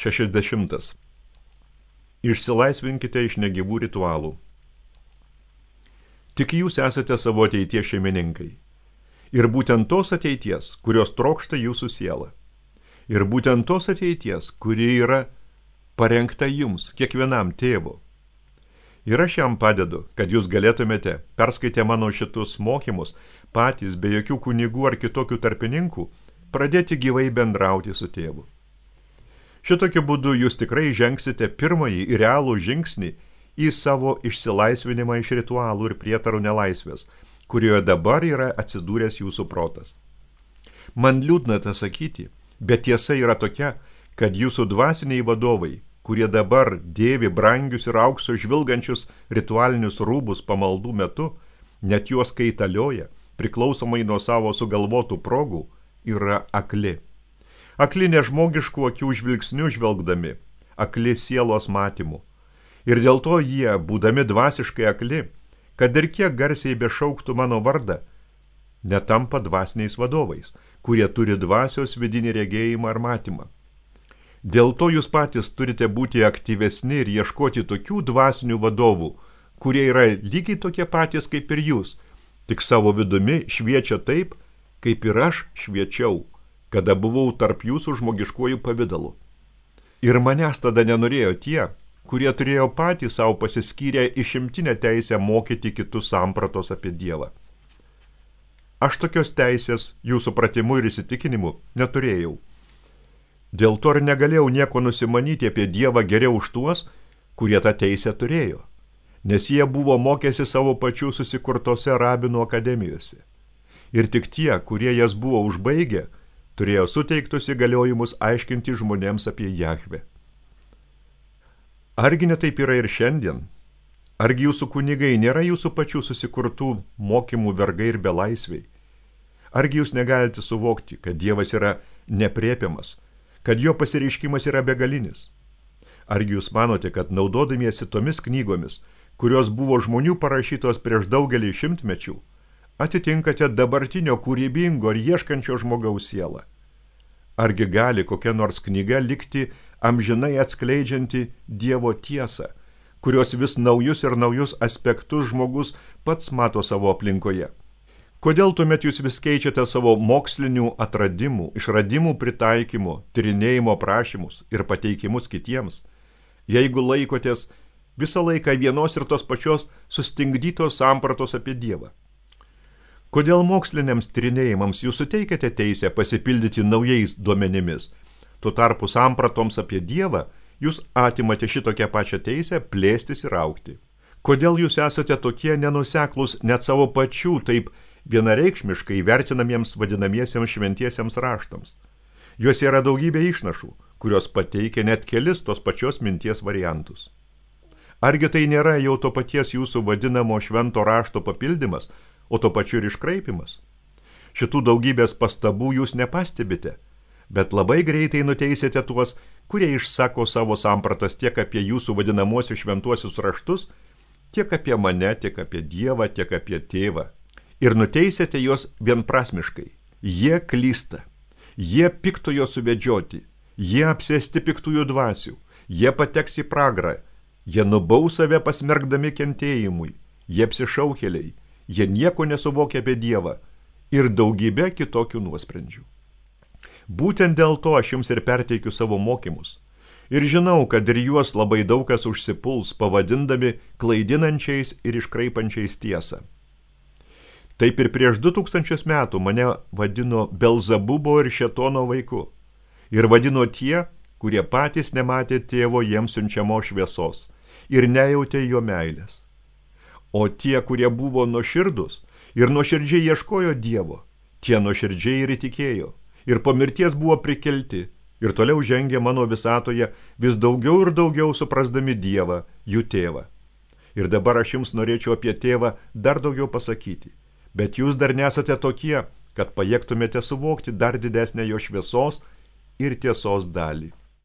60. Išsilaisvinkite iš negyvų ritualų. Tik jūs esate savo ateities šeimininkai. Ir būtent tos ateities, kurios trokšta jūsų siela. Ir būtent tos ateities, kuri yra parengta jums, kiekvienam tėvo. Ir aš jam padedu, kad jūs galėtumėte, perskaitę mano šitus mokymus, patys be jokių kunigų ar kitokių tarpininkų, pradėti gyvai bendrauti su tėvu. Šitokiu būdu jūs tikrai žengsite pirmąjį ir realų žingsnį į savo išsilaisvinimą iš ritualų ir prietarų nelaisvės, kurioje dabar yra atsidūręs jūsų protas. Man liūdna tą sakyti, bet tiesa yra tokia, kad jūsų dvasiniai vadovai, kurie dabar dėvi brangius ir aukso žvilgančius ritualinius rūbus pamaldų metu, net juos kaitalioja, priklausomai nuo savo sugalvotų progų, yra akli. Akli nežmogiškų akių žvilgsnių žvelgdami, akli sielos matymu. Ir dėl to jie, būdami dvasiškai akli, kad ir kiek garsiai bešauktų mano vardą, netampa dvasiniais vadovais, kurie turi dvasios vidinį regėjimą ar matymą. Dėl to jūs patys turite būti aktyvesni ir ieškoti tokių dvasinių vadovų, kurie yra lygiai tokie patys kaip ir jūs, tik savo vidumi šviečia taip, kaip ir aš šviečiau, kada buvau tarp jūsų žmogiškuoju pavidalu. Ir manęs tada nenorėjo tie, kurie turėjo patys savo pasiskyrę išimtinę teisę mokyti kitus sampratos apie Dievą. Aš tokios teisės jų supratimu ir įsitikinimu neturėjau. Dėl to ir negalėjau nieko nusimanyti apie Dievą geriau už tuos, kurie tą teisę turėjo, nes jie buvo mokėsi savo pačių susikurtose rabinų akademijose. Ir tik tie, kurie jas buvo užbaigę, turėjo suteiktus įgaliojimus aiškinti žmonėms apie Jahvę. Argi ne taip yra ir šiandien? Argi jūsų kunigai nėra jūsų pačių susikurtų mokymų vergai ir belaisviai? Argi jūs negalite suvokti, kad Dievas yra nepriepiamas, kad jo pasireiškimas yra begalinis? Argi jūs manote, kad naudodamiesi tomis knygomis, kurios buvo žmonių parašytos prieš daugelį šimtmečių, atitinkate dabartinio kūrybingo ir ieškančio žmogaus sielą? Argi gali kokia nors knyga likti amžinai atskleidžianti Dievo tiesą, kurios vis naujus ir naujus aspektus žmogus pats mato savo aplinkoje? Kodėl tuomet jūs vis keičiate savo mokslinių atradimų, išradimų pritaikymų, tyrinėjimo prašymus ir pateikimus kitiems, jeigu laikotės visą laiką vienos ir tos pačios sustingdytos sampratos apie Dievą? Kodėl moksliniams tyrinėjimams jūs suteikiate teisę pasipildyti naujais duomenimis? Tuo tarpu sampratoms apie Dievą jūs atimate šitokią pačią teisę plėstis ir augti. Kodėl jūs esate tokie nenuseklūs net savo pačių taip vienareikšmiškai vertinamiems vadinamiesiems šventiesiems raštams? Juose yra daugybė išnašų, kurios pateikia net kelis tos pačios minties variantus. Argi tai nėra jau to paties jūsų vadinamo švento rašto papildymas, o to pačiu ir iškraipimas? Šitų daugybės pastabų jūs nepastebite, bet labai greitai nuteisite tuos, kurie išsako savo sampratas tiek apie jūsų vadinamuosius šventuosius raštus, tiek apie mane, tiek apie Dievą, tiek apie tėvą. Ir nuteisite juos vienprasmiškai. Jie klysta, jie piktojo suvedžioti, jie apsėsti piktųjų dvasių, jie pateks į pragarą, jie nubaus save pasmerkdami kentėjimui, jie apsišaukėliai, jie nieko nesuvokia apie Dievą ir daugybę kitokių nuosprendžių. Būtent dėl to aš jums ir perteikiu savo mokymus. Ir žinau, kad ir juos labai daug kas užsipuls, pavadindami klaidinančiais ir iškraipančiais tiesą. Taip ir prieš 2000 metų mane vadino Belzabubo ir Šėtono vaiku. Ir vadino tie, kurie patys nematė tėvo jiems siunčiamo šviesos ir nejautė jo meilės. O tie, kurie buvo nuoširdus ir nuoširdžiai ieškojo Dievo, tie nuoširdžiai ir įtikėjo, ir po mirties buvo prikelti, ir toliau žengė mano visatoje vis daugiau ir daugiau suprasdami Dievą, jų tėvą. Ir dabar aš jums norėčiau apie tėvą dar daugiau pasakyti, bet jūs dar nesate tokie, kad pajėgtumėte suvokti dar didesnę jo šviesos ir tiesos dalį.